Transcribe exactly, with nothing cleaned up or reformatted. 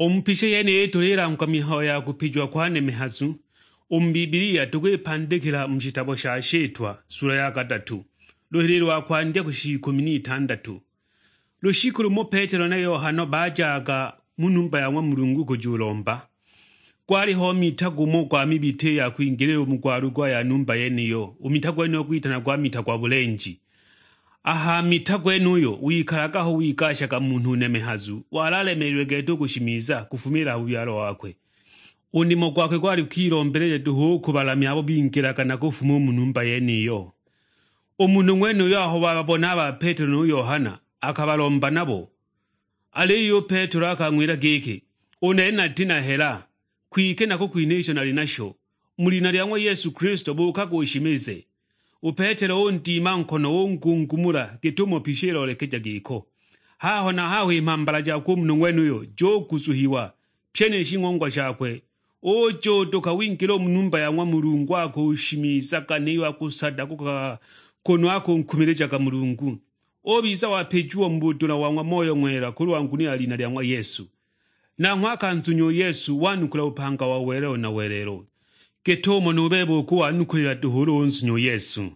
U mu pīsha yenīyī tūlīlangwa mihayo ya kūpijiwa kwa nemehazu, ū mu Bibbilia tūkwīpandīkīla mu shitabo sha Shītwa, sula ya katatū, lūhīlī lwa kwandya kūsha ikūmi n'itandatū. Lūshikū lūmo Petelo na Yohana baajaga mu numba ya ng'wa Mulungu kūjūlomba. Gwalīho mita gūmò gwa mibitī ya kwingīlīla ū mu gwalugwa ya numba yenīyo, ū mita gwenūyo gwitanagwa mita gwa būlenji. A ha mita gwenūyo wikalaga aho wigashaga munhū nemehazu, wali alemeelilwe gete ū kūshimiza kūfumīla ha būbyalo wakwe. Ū nīmo gwakwe gwalī kwilombeleja dūhū ū kūbalamya abo bingīlaga na kūfuma ū mu numba yenīyo. Ū munhū ng'wenūyo aho wababona a ba Petelo nū Yohana, akabalomba nabo. Alīyo ū Petelo akang'wīla gīkī, "Ū nene natī na hela, kwike nakukwinha īsho nalī nasho. Mu lina lya ng'wa Yesu Kilisito, būkaga ūshimize." Ū Petelo ūndima nkono, ūngungumūla gīt'umo pīsha īlolekeja gīko. Haho na haho ī mhambala jakwe ū munhū ng'wenūyo jūguzuhiwa, pye nī shing'ongwa shakwe. Ūjūdūka wingīla ū mu numba ya ng'wa Mulungu, akūshimizaga nīyo akūsadakūkaga, kūnū akūnkumīlījaga Mulungu. Ūbiza wapījiwa mu būdūla wa ng'wa Moyo Ng'wela kūlwa nguno ya lina lya ng'wa Yesu. Nanghwe akanzunya ū Yesu, wanukula būpanga wa welelo na welelo, gīt'umo nū bebe ūkūwanukulīla dūhū ūlū ūnzunya ū Yesu.